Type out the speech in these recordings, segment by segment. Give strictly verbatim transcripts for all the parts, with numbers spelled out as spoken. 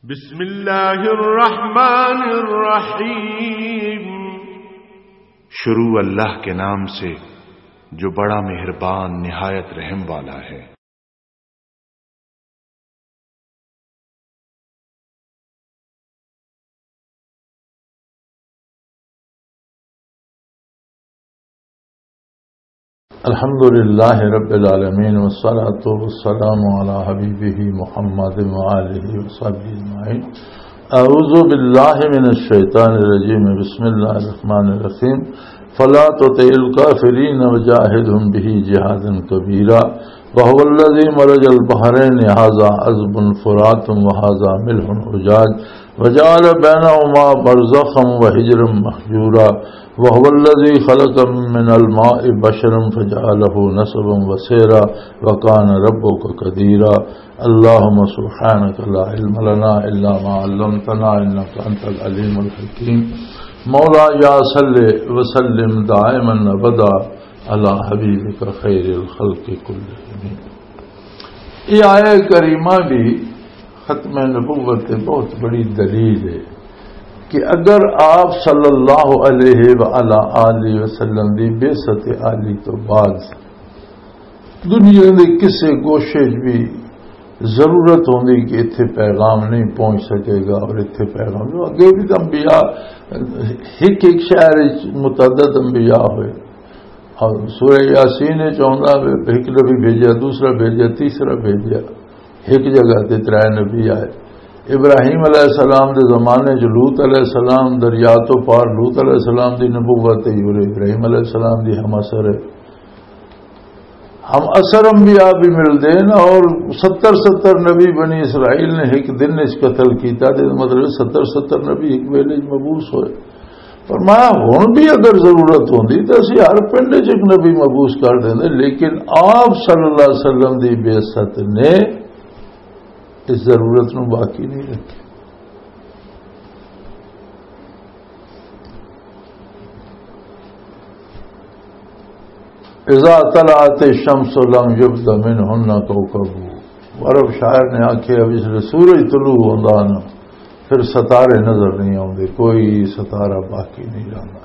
بسم اللہ الرحمن الرحیم۔ شروع اللہ کے نام سے جو بڑا مہربان نہایت رحم والا ہے۔ الحمد لله رب العالمين، والصلاة والسلام على حبيبه محمد وآله وصحبه أجمعين. أعوذ بالله من الشيطان الرجيم. بسم الله الرحمن الرحيم. فلا تطع الكافرين وجاهدهم به جهادا كبيرا. وهو الذي مرج البحرين هذا عذب فرات وهذا ملح أجاج وجعل بينهما برزخا وحجرا محجورا. وهو الذي خلق من الماء بشرا فجعله نسبا وصهرا وكان ربك قديرا. اللهم سبحانك لا علم لنا إلا ما علمتنا إنك أنت العليم الحكيم. مولاي صل وسلم دائما أبدا على حبيبك خير الخلق كلهم. یہ آیہ کریمہ بھی ختم نبوت کی بہت بڑی دلیل ہے کہ اگر آپ صلی اللہ علیہ وآلہ آلہ وسلم دی بعثت عالی تو بعد دنیا دے کسے گوشے 'چ بھی ضرورت ہوندی کہ اتھے پیغام نہیں پہنچ سکے گا، اور اتھے پیغام، جو اگے بھی تو انبیاء ایک ایک شہر 'چ متعدد انبیاء ہوئے، اور سورہ یاسین 'چ آندا ہے، ایک نبی بھیجا، دوسرا بھیجا، تیسرا بھیجا، ایک جگہ تے ترے نبی آئے۔ ابراہیم علیہ السلام دے زمانے 'چ لوط علیہ السلام، دریا تو پار لوط علیہ السلام دی نبوت ہے، اور ابراہیم علیہ السلام دی ہم اثر ہے۔ ہم اثر انبیاء بھی ملدے ہیں، اور ستر ستر نبی بنی اسرائیل نے ایک دن اس قتل کیتا، تے مطلب ستر ستر نبی ایک ویلے 'چ مبعوث ہوئے۔ فرمایا، ہن بھی اگر ضرورت ہوندی تے اسی ہر پنڈ 'چ ایک نبی مبعوث کر دیندے، لیکن آپ صلی اللہ علیہ وسلم دی بعثت نے اس ضرورت نو باقی نہیں رکھیا۔ اذا طلعت الشمس لم يبد منهن كوكب۔ عرب شاعر نے آکھیا، جس لے سورج طلوع ہوندا نا، پھر ستارے نظر نہیں آوندے، کوئی ستارہ باقی نہیں رہندا۔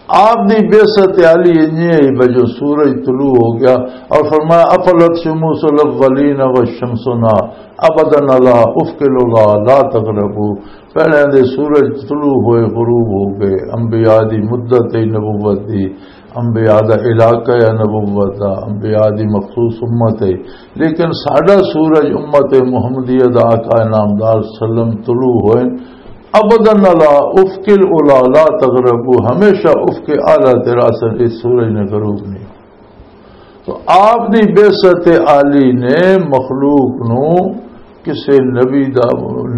آپ دی بعثت عالی انجی ہے، بجو سورج طلوع ہو گیا، اور فرمایا، افلت شموس الاولین والشمسنا ابدا على افق العلا لا تغرب۔ پہلے دے سورج طلوع ہوئے، غروب ہو گئے، انبیاء دی مدت ہے نبوت دی، انبیاء دا علاقہ ہے نبوت دا، انبیاء دی مخصوص امت ہے، لیکن ساڈا سورج امت محمدیہ دا آقا نامدار سلم طلوع ہوئے، ابدا على افق العلا لا تغرب، ہمیشہ افق اعلیٰ تے راسن، اس سورج نے غروب نہیں۔ تو آپ دی بعثت عالی نے مخلوق نو کسے نبی دا،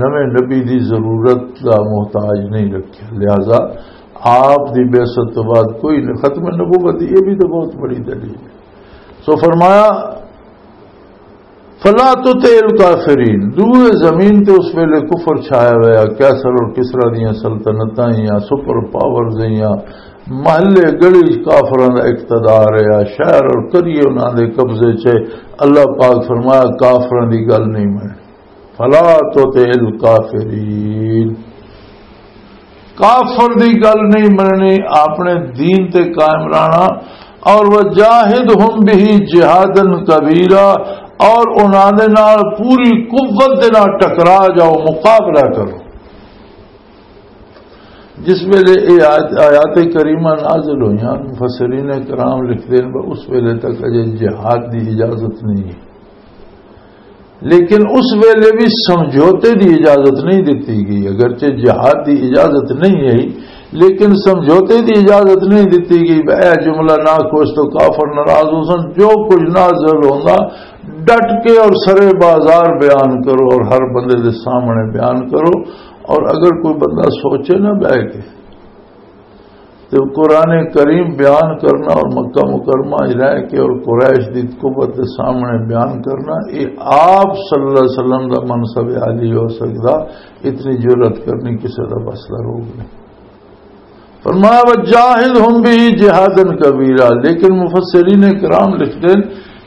نویں نبی دی ضرورت دا محتاج نہیں رکھیا، لہذا آپ دی بعثت تو بعد کوئی نہ، ختم نبوت، یہ بھی تو بہت بڑی دلیل ہے۔ سو فرمایا، فلا تطع الکافرین، دوئے زمین تے اس ویلے کفر چھایا ہوا، کیسر اور کسرا دیاں سلطنتاں یا سپر پاورز یا محلے گلی کافراں دا اقتدار ہے، شہر اور قریے انہاں دے قبضے چ ہے۔ اللہ پاک فرمایا، کافراں دی گل نہیں مننی۔ فلا تطع الکافرین، کافر دی گل نہیں مننی، اپنے دین تے قائم رہنا۔ اور وجاہدہم بہ جہادا کبیرا، اور انہاں دے نال پوری قوت دے نال ٹکرا جاؤ، مقابلہ کرو۔ جس ویلے یہ آیات، آیات کریمہ نازل ہوئیاں، مفسرین کرام لکھتے ہیں، اس ویلے تک اجے جہاد دی اجازت نہیں ہے، لیکن اس ویلے بھی سمجھوتے دی اجازت نہیں دتی گئی۔ اگرچہ جہاد دی اجازت نہیں ہے، لیکن سمجھوتے دی اجازت نہیں دتی گئی۔ اے جملہ نہ کوش تو کافر ناراض ہو سن۔ جو کچھ نازل ہوندا، ڈٹ کے اور سرے بازار بیان کرو اور ہر بندے دے سامنے بیان کرو۔ اور اگر کوئی بندہ سوچے نہ بہ کے، تو قرآن کریم بیان کرنا اور مکہ مکرمہ 'چ رہ کے اور قریش دی قوت دے سامنے بیان کرنا، یہ آپ صلی اللہ علیہ وسلم دا منصب عالی ہو سکدا، اتنی جرأت کرنی کسے دا بس دا روگ نہیں۔ فرمایا، وجاہدہم بہ جہادا کبیرا، لیکن مفسرین کرام لکھتے ہیں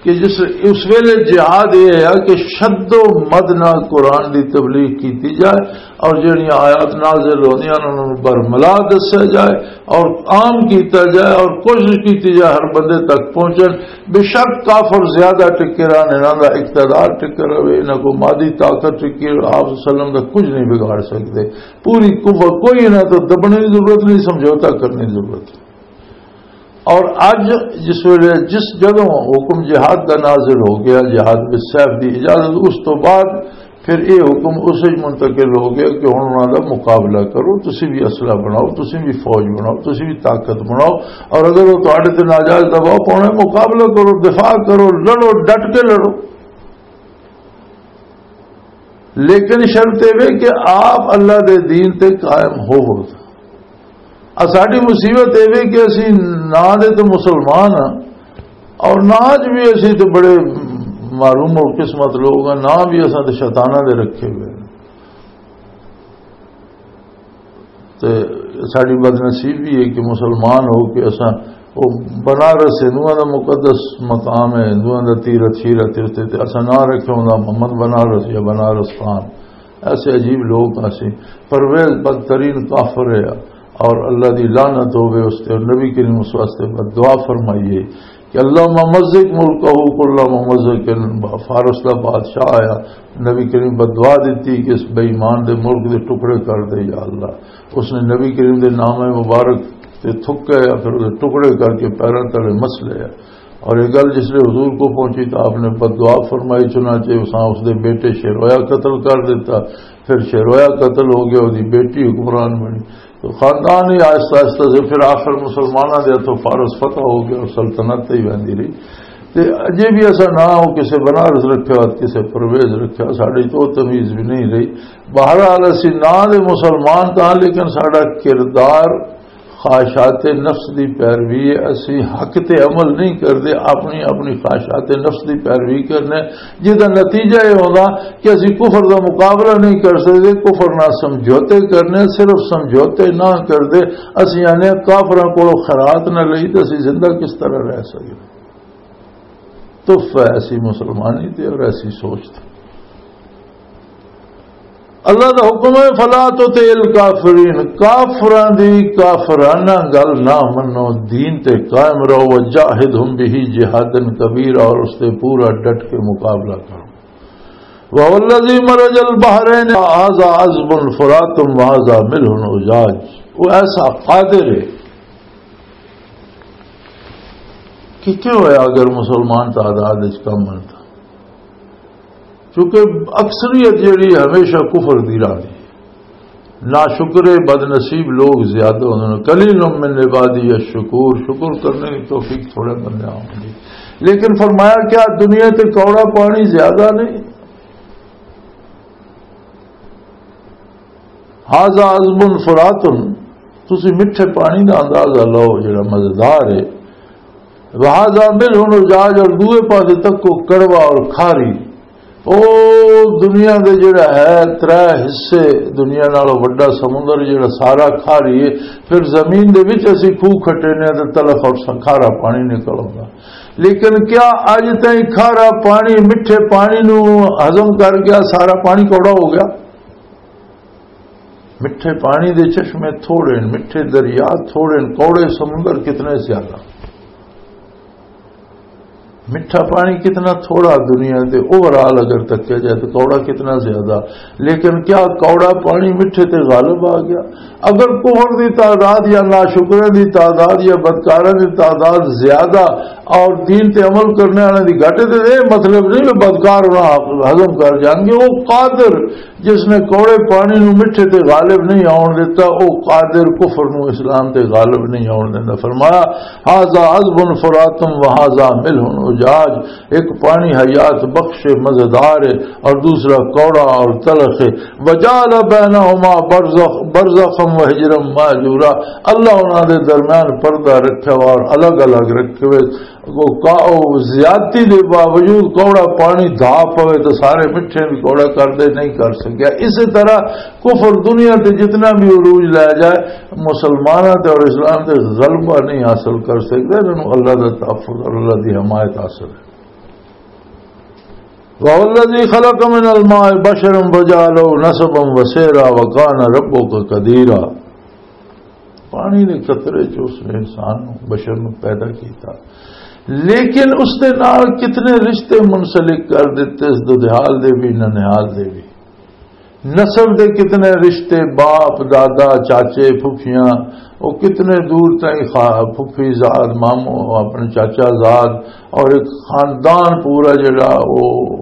کہ جس، اس ویلے جہاد یہ ہے کہ شد و مد نال قرآن دی تبلیغ کیتی جائے، اور جہڑیاں آیات نازل ہوندیاں انہاں نوں برملا دسیا جائے، اور عام کیتا جائے، اور کوشش کیتی جائے ہر بندے تک پہنچن۔ بے شک کافر زیادہ ٹکے رہن، انہاں دا اقتدار ٹکے رہے، انہاں کو مادی طاقت ٹکی رہے، آپ صلی اللہ علیہ وسلم دا کچھ نہیں بگاڑ سکتے۔ پوری قوت، کوئی انہاں تو دبنے کی ضرورت نہیں، سمجھوتا کرنے کی ضرورت نہیں۔ اور اج جس ویلے، جس، جدوں حکم جہاد دا نازل ہو گیا، جہاد بالسیف دی اجازت، اس تو بعد پھر یہ حکم اس وچ منتقل ہو گیا کہ ہن انہاں دا مقابلہ کرو، تسی بھی اسلحہ بناؤ، تسی بھی فوج بناؤ، تسی بھی طاقت بناؤ، اور اگر وہ تہاڈے تے ناجائز دباؤ پاؤنا ہے، مقابلہ کرو، دفاع کرو، لڑو، ڈٹ کے لڑو۔ لیکن شرط یہ وے کہ آپ اللہ دے دین تے قائم ہوو۔ آ ساڈی مصیبت یہ وے کہ اسی نہ دے تے مسلمان ہاں، اور نہ اج بھی اسی تے بڑے معروم اور قسمت لوگ ہاں، نہ بھی اساں تے شیطاناں دے رکھے ہوئے ہیں۔ تے ساڈی بدنصیبی ہے کہ مسلمان ہو کے اساں، او بنارس ہندوؤں دا مقدس مقام ہے، ہندوؤں دا تیرتھ، شیرتھ تیرتھ، تے اساں نہ رکھے ہوندا محمد بنارس یا بنارس خان۔ ایسے عجیب لوگ آسی۔ پرویز بدترین کافر ہے، اور اللہ دی لعنت ہوے اس تے، اور نبی کریم اس واسطے بد دعا فرمائی ہے کہ اللہم مزق ملکہ کل ممزق۔ فارس دا بادشاہ آیا، نبی کریم بد دعا دیتی کہ اس بے ایمان دے ملک دے ٹکڑے کر دے یا اللہ۔ اس نے نبی کریم دے نام مبارک تے تھکے، پھر اسے ٹکڑے کر کے پیراں تلے مس لیا۔ اور یہ گل جس لئے حضور کو پہنچی تو آپ نے بد دعا فرمائی، چنانچہ اساں اس دے بیٹے شیرویا قتل کر دیتا۔ پھر شیرویا قتل ہو گیا، اس دی بیٹی حکمران بنی۔ تو خاندان ہی آہستہ آہستہ سے پھر آخر مسلماناں دے ہتھوں فارس فتح ہو گیا اور سلطنت تے ہی ویندی رہی۔ تے اجے بھی ایسا نہ ہو کسے بنارس رکھیا، کسے پرویز رکھیا، ساڈی تو تمیز بھی نہیں رہی۔ بہرحال اسی نہ دے مسلمان تاں، لیکن ساڈا کردار خواہشات نفس دی پیروی ہے۔ اسی حق تے عمل نہیں کردے، اپنی، اپنی خواہشات نفس دی پیروی کرنے، جس دا نتیجہ یہ ہونا کہ اسی کفر دا مقابلہ نہیں کر سکدے، کفر نال سمجھوتے کرنے، صرف سمجھوتے نہ کردے۔ اسی آنے کافراں کولوں خیرات نہ لئی تے اسی زندہ کس طرح رہ سکدے؟ تحفہ ایسی مسلمانی تے اور ایسی سوچ تے۔ اللہ دا حکم ہے، فلا تطع الکافرین، کافراں دی کافرانہ گل نہ منو، دین تے قائم رہو، وجاہدہم بہ جہادا کبیرا، اور اس تے پورا ڈٹ کے مقابلہ کرو۔ وهو الذي مرج البحرين هذا عذب فرات وهذا ملح أجاج۔ وہ ایسا قادر ہے کہ کیوں ہویا اگر مسلمان تعداد وچ کم ہن تاں؟ کیونکہ اکثریت جیڑی ہمیشہ کفر دی راہ دی، ناشکرے، بدنصیب لوگ زیادہ ہوندے نے۔ قلیل من عبادی الشکور، شکر کرنے کی توفیق تھوڑے بندے ہوندی۔ لیکن فرمایا، کیا دنیا تے کوڑا پانی زیادہ نہیں؟ ھذا عذب فرات، تسی مٹھے پانی دا اندازہ لو جڑا مزیدار ہے۔ وھذا ملح اجاج، اور دوئے پاسے تکو کڑوا اور کھاری۔ او دنیا دے جڑا ہے ترے حصے، دنیا نالوں وڈا سمندر جڑا سارا کھاری ہے، پھر زمین دے وچ اسی کھوہ کھٹے نے تے تلخ اور کھارا پانی نکل آوندا۔ لیکن کیا اج تائیں کھارا پانی مٹھے پانی نو ہضم کر گیا، سارا پانی کوڑا ہو گیا؟ مٹھے پانی دے چشمے تھوڑے نے، مٹھے دریا تھوڑے نے، کوڑے سمندر کتنے زیادہ۔ مٹھا پانی کتنا تھوڑا دنیا تے اوور آل اگر تکیا جائے تو کوڑا کتنا زیادہ۔ لیکن کیا کوڑا پانی مٹھے تے غالب آ گیا؟ اگر کفر دی تعداد یا ناشکرے دی تعداد یا بدکاروں دی تعداد زیادہ اور دین تے عمل کرنے والے دی گھٹ، تے یہ مطلب نہیں کہ بدکار انہاں ہضم کر جان گے۔ وہ قادر جس نے کوڑے پانی نو مٹھے تے غالب نہیں آون دیتا، او قادر کفر نو اسلام تے غالب نہیں آون دیندا۔ فرمایا، ھذا عذب فرات وھذا ملح اجاج، ایک پانی حیات بخش مزیدار ہے اور دوسرا کوڑا اور تلخ ہے۔ وجعل بینہما برزخ، برزخا وحجرا مہجورا، اللہ انہاں دے درمیان پردہ رکھیا ہوا اور الگ الگ رکھے ہوئے۔ وہ کا-، وہ زیادتی دے باوجود کوڑا پانی دھا پوے تو سارے مٹھے بھی کوڑا کر دے، نہیں کر سکیا۔ اسی طرح کفر دنیا تے جتنا بھی عروج لے جائے، مسلمانوں تے اور اسلام تے غلبہ نہیں حاصل کر سکتا۔ انہاں نوں اللہ دا تحفظ اور اللہ دی حمایت حاصل ہے۔ وَهُوَ الَّذِي خَلَقَ مِنَ الْمَاءِ بَشَرًا فَجَعَلَهُ نَسَبًا وَصِهْرًا وَكَانَ رَبُّكَ قَدِيرًا۔ پانی دے قطرے چ اس نے انسان نوں، بشر نوں پیدا کیتا، لیکن اس دے نال کتنے رشتے منسلک کر دتے، اس دودھیال دے بھی، ننہیال دے بھی۔ نسب دے کتنے رشتے، باپ، دادا، چاچے، پھپھیاں، وہ کتنے دور تائیں خا-، پھپھی زاد، مامو، اپنے چاچا زاد، اور ایک خاندان پورا جڑا وہ،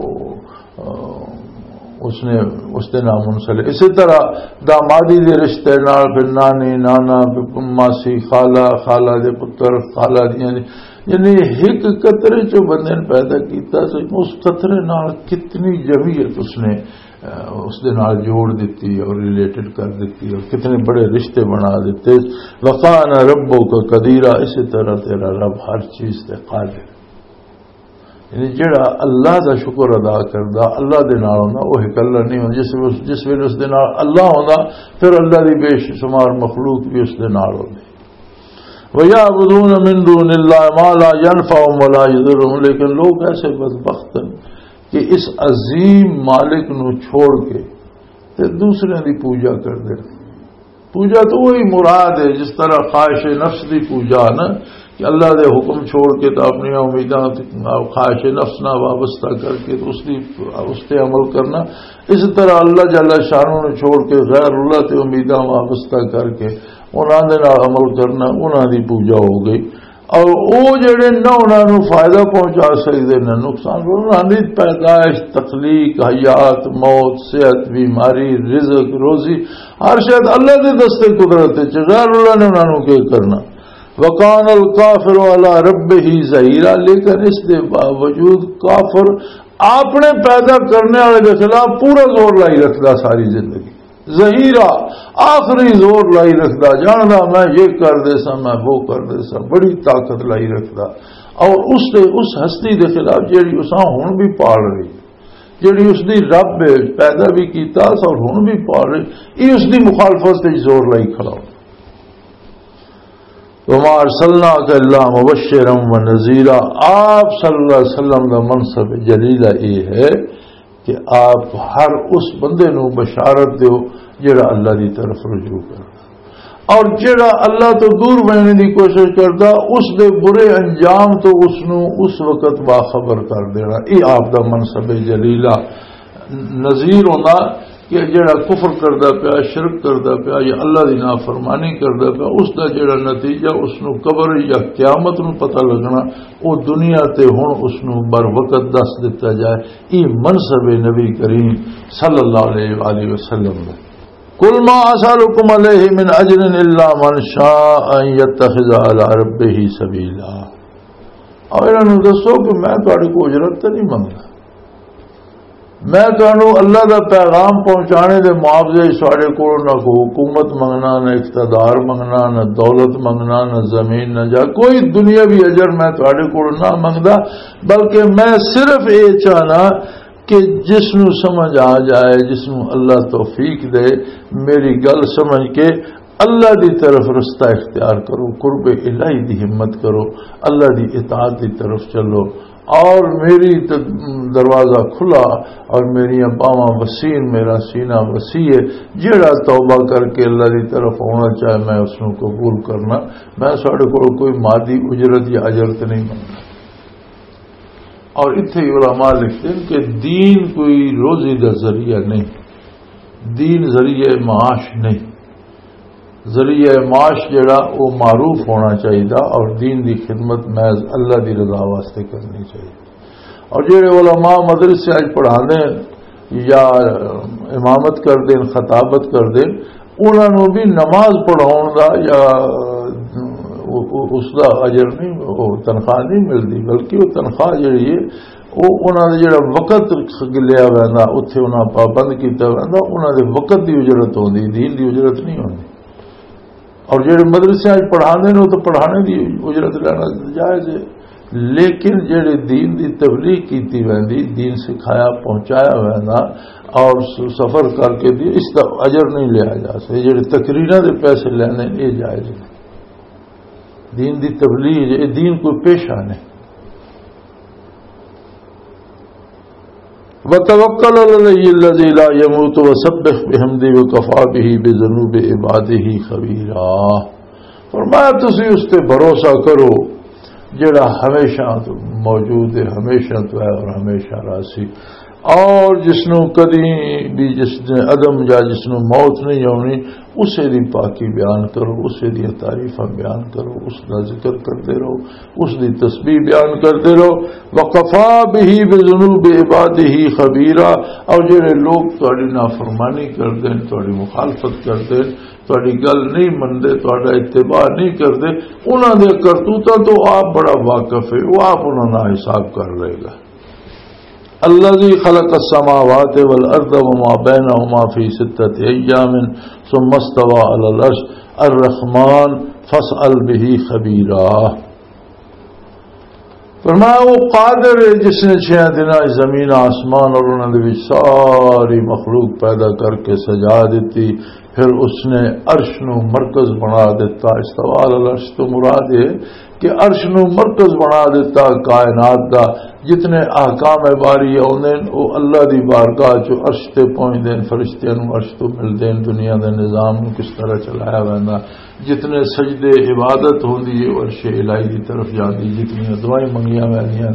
آ، اس نے، اس دے نال منسلک۔ اسی طرح دامادی دے رشتے نال پھر نانی، نانا، پھر ماسی، خالہ، خالہ دے پتر، خالہ دیاں، یعنی ایک قطرے چوں بندے نے پیدا کیتا، تو اس قطرے نال کتنی جمعیت اس نے، آ، اس دے نال جوڑ دتی اور ریلیٹڈ کر دتی اور کتنے بڑے رشتے بنا دیتے۔ وَكَانَ رَبُّكَ قَدِيرًا، اسی طرح تیرا رب ہر چیز تے قادر۔ یعنی جڑا اللہ دا شکر ادا کردا، اللہ دے نال ہوندا، وہ اکلا نہیں ہوندا۔ جس ویلے، جس ویلے اس دے نال اللہ ہوندا، پھر اللہ دی بے شمار مخلوق بھی اس دے نال ہوندی۔ وَيَعْبُدُونَ مِن دُونِ اللَّهِ مَا لَا يَنفَعُهُمْ وَلَا يَضُرُّهُمْ، لیکن لوگ ایسے بدبخت ہیں کہ اس عظیم مالک نو چھوڑ کے تے دوسرے دی پوجا کردے۔ پوجا تو وہی مراد ہے، جس طرح خواہش نفس دی پوجا نا، کہ اللہ دے حکم چھوڑ کے تو اپنی امیداں تے خواہش نفس نہ وابستہ کر کے اس دی، اس تے عمل کرنا۔ اس طرح اللہ جل شانہ نو چھوڑ کے غیر اللہ تے امیداں وابستہ کر کے انہاں دے نال عمل کرنا، انہاں دی پوجا ہو گئی۔ اور او جڑے نہ انہاں نوں فائدہ پہنچا سکدے، نہ نقصان، انہاں دی پیدائش، تخلیق، حیات، موت، صحت، بیماری، رزق، روزی، ہر شاید اللہ دے دستے قدرت وچ، غیر اللہ نے انہاں نوں کی کرنا۔ وَكَانَ الْكَافِرُ عَلَى رَبِّهِ ظَهِيرًا، لیکن اس دے باوجود کافر اپنے پیدا کرنے والے دے خلاف پورا زور لائی رکھدا ساری زندگی۔ ظہیرہ، آخری زور لائی رکھدا، جاندا میں یہ کر دے سا، میں وہ کر دے سا، بڑی طاقت لائی رکھدا۔ اور اس دے، اس ہستی دے خلاف جیڑی اساں ہن بھی پال رہی، جیڑی اس دی رب ہے، پیدا بھی کیتا سا اور ہن بھی پال رہی، یہ اس دی مخالفت تے زور لائی کھڑا ہو۔ وما ارسلناک الا مبشرا و نذیرا۔ آپ صلی اللہ علیہ وسلم دا منصب جلیلہ یہ ہے کہ آپ ہر اس بندے نو بشارت دیو جڑا اللہ دی طرف رجوع کردا، اور جڑا اللہ تو دور بننے دی کوشش کردا، اس دے برے انجام تو اس نو اس وقت باخبر کر دینا۔ یہ آپ دا منصب جلیلہ۔ نذیر ہوندا کہ جڑا کفر کردا پیا، شرک کردا پیا یا اللہ دی نافرمانی کردا پیا، اس دا جڑا نتیجہ اس نو قبر یا قیامت نو پتہ لگنا، او دنیا تے ہن اس نو بر وقت دس دتا جائے۔ یہ منصب نبی کریم صلی اللہ علیہ وآلہ وسلم دا۔ قل ما اسالکم علیہ من اجر الا من شاء ان یتخذ الی ربہ سبیلا۔ اور انہاں نوں دسو کہ میں تہاڈے کول اجرت تے نہیں منگدا، میں تانوں اللہ دا پیغام پہنچانے دے معاوضے وچ، تہاڈے کول نہ کوئی حکومت منگنا، نہ اقتدار منگنا، نہ دولت منگنا، نہ زمین، نہ جا، کوئی دنیاوی اجر میں تہاڈے کول نہ منگدا، بلکہ میں صرف اے چاہنا کہ جس نوں سمجھ آ جائے، جس نوں اللہ توفیق دے، میری گل سمجھ کے اللہ دی طرف رستہ اختیار کرو، قرب الہی دی ہمت کرو، اللہ دی اطاعت دی طرف چلو۔ اور میری ت-، دروازہ کھلا اور میریاں باواں وسیع، میرا سینہ وسیع ہے۔ جیڑا توبہ کر کے اللہ دی طرف آنا چاہے، میں اس نوں قبول کرنا۔ میں ساڈے کول کوئی مادی اجرت یا اجرت نہیں منگدا۔ اور اتھے ہی علماء لکھتے ہیں کہ دین کوئی روزی دا ذریعہ نہیں، دین ذریعہ معاش نہیں۔ ذریعہ معاش جڑا، وہ معروف ہونا چاہیے اور دین دی خدمت محض اللہ دی رضا واسطے کرنی چاہیے۔ اور جڑے علماء مدرسے اچ پڑھاندے ہیں یا امامت کردے ہیں، خطابت کردے ہیں، انہاں نوں بھی نماز پڑھاؤن دا یا او-، او-، اس دا اجر نہیں، او تنخواہ نہیں ملدی، بلکہ وہ تنخواہ جڑی ہے، وہ انہاں دا جڑا وقت لیا ویندا، اتھے انہاں پابند کیتا ویندا، انہاں دے وقت دی اجرت ہوندی، دین دی اجرت نہیں ہوندی۔ اور جڑے مدرسے اچ پڑھاندے نے، وہ تو پڑھانے دی اجرت لینا جائز ہے، لیکن جڑے دین دی تبلیغ کیتی ویندی، دین سکھایا پہنچایا ویندا اور س-، سفر کر کے دی، اس دا اجر نہیں لیا جا سکتا۔ جڑے تقریراں دے پیسے لینے، یہ جائز نہیں۔ دین دی تبلیغ، یہ دین کوئی پیشہ نہیں۔ وتوکل علی الحی الذی لا یموت وسبح بحمدہ وکفی بہ بذنوب عبادہ خبیرا۔ فرمایا، تسی اس تے بھروسہ کرو جڑا ہمیشہ تو موجود ہے، ہمیشہ تو ہے اور ہمیشہ راسی، اور جس نو کدی بھی، جس نے عدم یا جس نو موت نہیں ہونی، اسے دی پاکی بیان کرو، اسے دی تعریفاں بیان کرو، اس دا ذکر کرتے رہو، اس دی تسبیح بیان کرتے رہو۔ وکفی بہ بذنوب عبادہ خبیرا۔ اور جڑے لوگ تہاڈی نافرمانی کردے نے، تہاڈی مخالفت کردے نے، تہاڈی گل نہیں مندے، تہاڈا اتباع نہیں کردے، انہاں دے کرتوتاں تو آپ بڑا واقف ہے، وہ آپ انہاں نال حساب کر لے گا۔ الذی خلق السماوات والارض وما بینہما فی ستۃ ایام ثم استوی علی العرش الرحمن فاسأل بہ خبیرا۔ فرمایا، وہ قادر ہے جس نے چھ دناں وچ زمین، آسمان اور انہاں دے وچ ساری مخلوق پیدا کر کے سجا دتی، پھر اس نے عرش نو مرکز بنا دتا۔ استوی علی العرش تو مراد ہے کہ عرش نو مرکز بنا دتا کائنات دا۔ جتنے احکام باری آوندے نے، وہ اللہ دی بارگاہ چوں عرش تے پہنچدے نے، فرشتیاں نو عرش تو ملدے نے، دنیا دے نظام نو کس طرح چلایا ویندا۔ جتنے سجدے عبادت ہوندی ہے، وہ عرش الہی دی طرف جاندی، جتنی دعائیں منگیاں ویندیاں،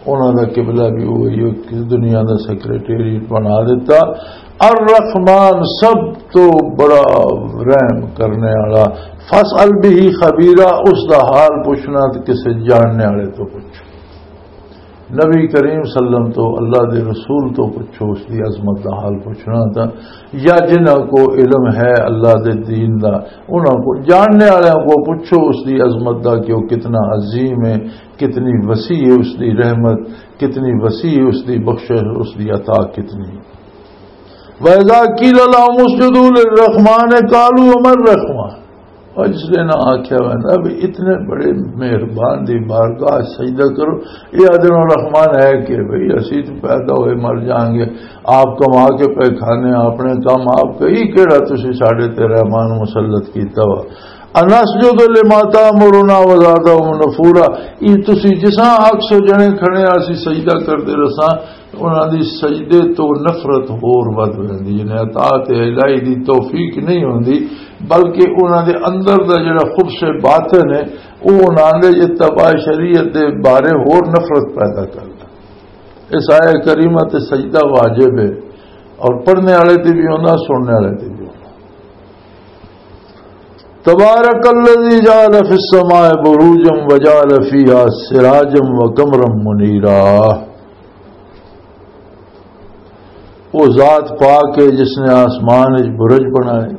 انہاں دا قبلہ بھی وہی ہے، دنیا دا سیکرٹریٹ بنا دیتا۔ الرحمن، سب تو بڑا رحم کرنے والا۔ فاسأل بہ خبیرا، اس دا حال پوچھنا تے کسے جاننے والے تو پوچھو۔ نبی کریم صلی اللہ علیہ وسلم تو، اللہ دے رسول تو پوچھو، اس دی عظمت دا حال پوچھنا تا، یا جنہاں کو علم ہے اللہ دے دین دا، انہاں کو، جاننے والوں کو پوچھو اس دی عظمت دا کہ وہ کتنا عظیم ہے، کتنی وسیع ہے اس دی رحمت، کتنی وسیع ہے اس دی بخشش، اس دی عطا کتنی۔ وَإِذَا قِيلَ لَهُمُ اسْجُدُوا لِلرَّحْمَٰنِ قَالُوا وَمَا الرَّحْمَٰنُ۔ اور جس نے نہ آکھیا ویندا بھی اتنے بڑے مہربان دی بارگاہ سجدہ کرو، یہ آدھے نو رحمان ہے کہ بھئی اسی تو پیدا ہوئے مر جائیں گے، آپ کما کے پے کھانے، اپنے کام آپ کئی، کیڑا تسی ساڈے تے رحمان مسلط کیتا وا؟ انسجد لما تأمرنا وزادهم نفورا۔ یہ تسی جساں آکھ سو جنے کھڑے آ، اسی سجدہ کردے رساں، انہاں دی سجدے تو نفرت ہور ودھ ویندی ہے۔ یعنی اطاعت الہی دی توفیق نہیں ہوندی، بلکہ انہاں دے اندر دا جڑا خبث باطن ہے، او انہاں دے یہ تباہ شریعت دے بارے ہور نفرت پیدا کردا۔ اس آیہ کریمہ تے سجدہ واجب ہے، اور پڑھنے والے تے بھی ہوندا، سننے والے تے بھی ہوندا۔ تبارک الذی جعل فی السماء بروجا وجعل فیہا سراجا وقمرا منیرا۔ وہ ذات پاک ہے جس نے آسمان وچ برج بنائے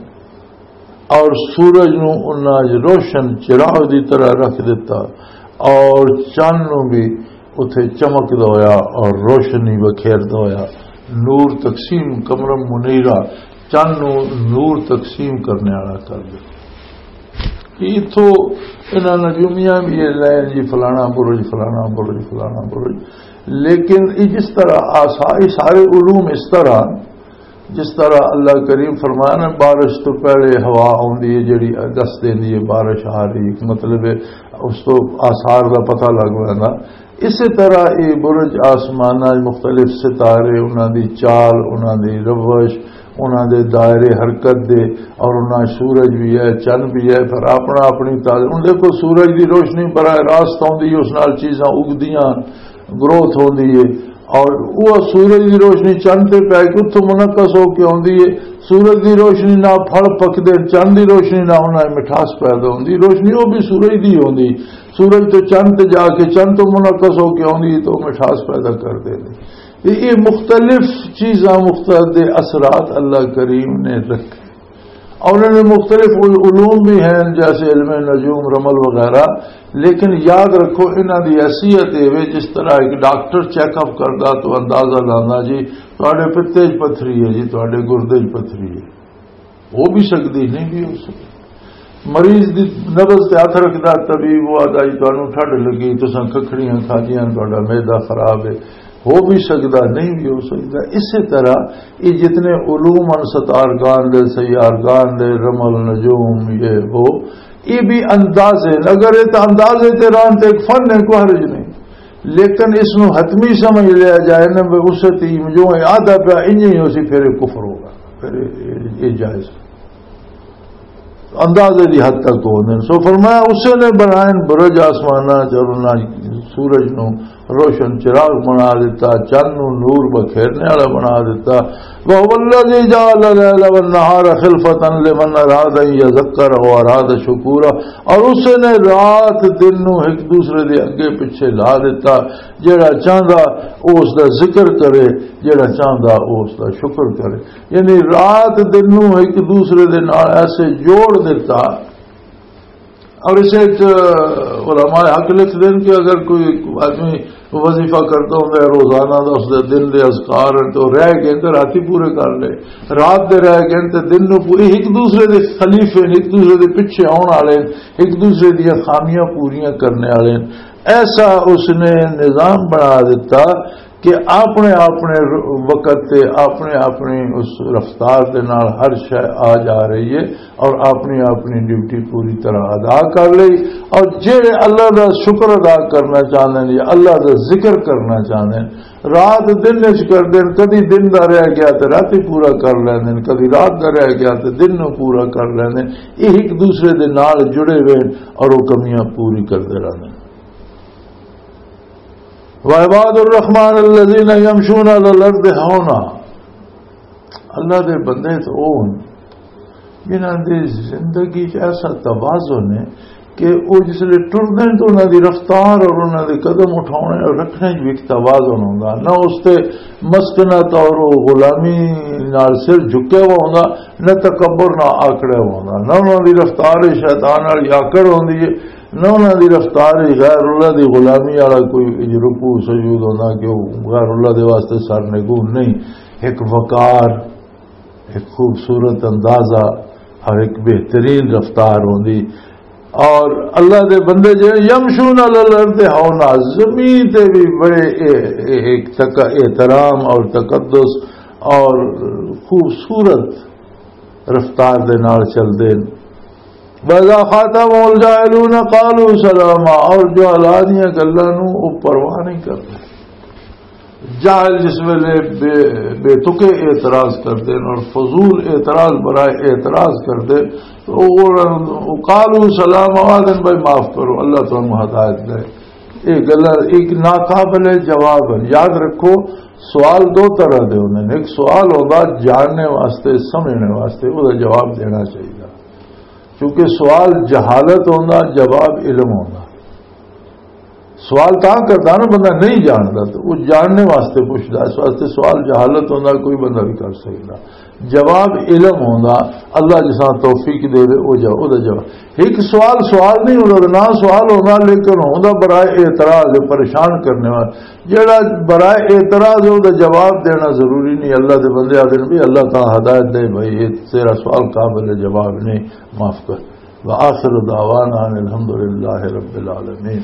اور سورج نو انہاں وچ روشن چراغ دی طرح رکھ دتا، اور چن نو بھی اتھے چمکدا ہویا اور روشنی بکھیردا ہویا نور تقسیم، قمرا منیرا، چن نو نور تقسیم کرنے والا کر دے۔ کہ اتھوں انہاں نجومیاں بھی یہ لین جی فلانا برج، فلانا برج، فلانا برج، لیکن یہ جس طرح آسا-، یہ سارے علوم اس طرح، جس طرح اللہ کریم فرمایا نا، بارش تو پہلے ہوا آوندی ہے جڑی دس دیندی ہے بارش آ رہی، ایک مطلب ہے اس تو آثار دا پتہ لگ ویندا۔ اسی طرح یہ برج آسماناں وچ مختلف ستارے، انہاں دی چال، انہاں دی روش، انہاں دے دائرے حرکت دے، اور انہاں سورج بھی ہے، چن بھی ہے، پھر اپنا اپنی تال۔ ہن دیکھو، سورج دی روشنی براہ راست آوندی ہے، اس نال چیزاں اگدیاں، گروتھ ہوندی ہے، اور وہ سورج دی روشنی چن تے پے کے اتھوں منعکس ہو کے آوندی ہے۔ سورج دی روشنی نال پھل پکدے، چن دی روشنی نال انہاں وچ مٹھاس پیدا ہوندی۔ روشنی وہ بھی سورج دی ہوندی، سورج تو چن تے جا کے، چن تو منعکس ہو کے آوندی ہے، تو مٹھاس پیدا کر دے۔ تے یہ مختلف چیزاں، مختلف دے اثرات اللہ کریم نے رکھے۔ اور انہاں نے مختلف علوم بھی ہیں، جیسے علم نجوم، رمل وغیرہ، لیکن یاد رکھو، انہاں دی حیثیت یہ وے، جس طرح ایک ڈاکٹر چیک اپ کردا تو اندازہ لاندا جی، تہاڈے پتے 'چ پتھری ہے جی، تہاڈے گردے 'چ پتھری ہے۔ ہو بھی سکدی، نہیں بھی ہو سکدی۔ مریض دی نبض تے ہتھ رکھدا طبیب، وہ آہدا جی تانوں ٹھڈ لگی، تساں ککھڑیاں کھادیاں، تہاڈا معدہ خراب ہے۔ ہو بھی سکدا، نہیں بھی ہو سکدا۔ اسی طرح یہ جتنے علوم ان، ستارگان دے، سیارگان دے، رمل نجوم، یہ وہ، یہ بھی اندازے۔ اگر یہ تو اندازے تے رہن تے ایک فن ہے، کوئی حرج نہیں۔ لیکن اس نو حتمی سمجھ لیا جائے نا، بھی اسے تیم جو ہے آدھا پیا، انج ہی اسی پھر یہ کفر ہوگا، پھر یہ، یہ جائز۔ اندازے دی حد تک ہوندے نے۔ سو فرمایا، اسے نے بنائے برج آسماناں چ، اور انہاں سورج نو روشن چراغ بنا دیتا، چند نو نور بکھیرنے والا بنا دیتا۔ وَهُوَ الَّذِي جَعَلَ اللَّيْلَ وَالنَّهَارَ خِلْفَةً لِمَنْ أَرَادَ أَنْ يَذَّكَّرَ أَوْ أَرَادَ شُكُورًا۔ اور اسے نے رات دن نو ایک دوسرے دے اگے پیچھے لا دیتا، جیڑا چاہندا او اس دا ذکر کرے، جیڑا چاہندا او اس دا شکر کرے۔ یعنی رات دن نو ایک دوسرے دے نال ایسے جوڑ دیتا۔ اور اسے وچ علماء حق لکھ دین کہ اگر کوئی آدمی وظیفہ کرتا ہوندا ہے روزانہ دا، اس دے دن دے اذکار ہیں تو رہ گئے تو رات ہی پورے کر لے، رات دے رہ گئے تو دن نو پو-، ایک دوسرے دے خلیفے نے، ایک دوسرے دے پیچھے آن والے نے، ایک دوسرے دیاں خامیاں پوریاں کرنے والے نے۔ ایسا اس نے نظام بنا دیتا کہ اپنے اپنے وقت تے اپنے اپنی اس رفتار دے نال ہر شے آ جا رہی ہے اور اپنی اپنی ڈیوٹی پوری طرح ادا کر لئی۔ اور جہڑے اللہ دا شکر ادا کرنا چاہندے نے یا اللہ دا ذکر کرنا چاہندے نے، رات دن وچ کردے نے، کدی دن دا رہ گیا تے رات ہی پورا کر لیندے نے، کدی رات دا رہ گیا تے دن نوں پورا کر لیندے نے۔ یہ ایک دوسرے دے نال جڑے ہوئے نے اور وہ کمیاں پوری کردے رہندے نے۔ وعباد الرحمن الذين يمشون على الارض هونا۔ اللہ دے بندے تو او ہن جنہاں دی زندگی چ ایسا توازن ہے کہ او جس لے ٹردے نے تو انہاں دی رفتار اور انہاں دے قدم اٹھاونے اور رکھنے چ بھی ایک توازن ہوندا، نہ اس تے مسکنت اور او غلامی نال سر جھکیا ہوا ہوندا، نہ تکبر نہ آکڑیا ہوا ہوندا، نہ انہاں دی رفتار شیطان والی آکڑ ہوندی ہے، نہ انہاں دی رفتار وچ غیر اللہ دی غلامی والا کوئی رکوع سجود ہوندا کہ وہ غیر اللہ دے واسطے سر نگون نہیں۔ ایک وقار، ایک خوبصورت اندازہ اور ایک بہترین رفتار ہوندی۔ اور اللہ دے بندے جے یمشون علی الارض ہونا، زمین تے بھی بڑے اے-، اے-، ایک تک-، احترام اور تقدس اور خوبصورت رفتار دے نال چلدے نے۔ وَإِذَا خَاطَبَهُمُ الْجَاهِلُونَ قَالُوا سَلَامًا، اور جہلاں دیاں گلاں نوں او پرواہ نہیں کردے۔ جاہل جس ویلے بے، بے تکے اعتراض کردے نے اور فضول اعتراض برائے اعتراض کردے، تو او، او قالوا سلاما، آدن بھائی معاف کرو، اللہ تانوں ہدایت دے۔ یہ گلاں ایک ناقابل جواب ہے۔ یاد رکھو، سوال دو طرح دے ہوندے نے۔ ایک سوال ہوندا جاننے واسطے، سمجھنے واسطے، او دا جواب دینا چاہیے، کیونکہ سوال جہالت ہوندا، جواب علم ہوندا۔ سوال تاں کردا نا بندہ نہیں جاندا، تو وہ جاننے واسطے پوچھدا، اس واسطے سوال جہالت ہوندا، کوئی بندہ بھی کر سکدا۔ جواب علم ہوندا، اللہ جساں توفیق دے دے، او جا-، او دا جواب۔ ایک سوال سوال نہیں ہوندا، نہ سوال ہوندا، لیکن ہوندا برائے اعتراض، پریشان کرنے والا۔ جڑا برائے اعتراض ہے، او دا جواب دینا ضروری نہیں۔ اللہ دے بندے آدھے نے بھی اللہ تعالیٰ ہدایت دے، بھائی، یہ تیرا سوال قابل جواب نہیں، معاف کر۔ وآخر دعوانا ان الحمدللہ رب العالمین۔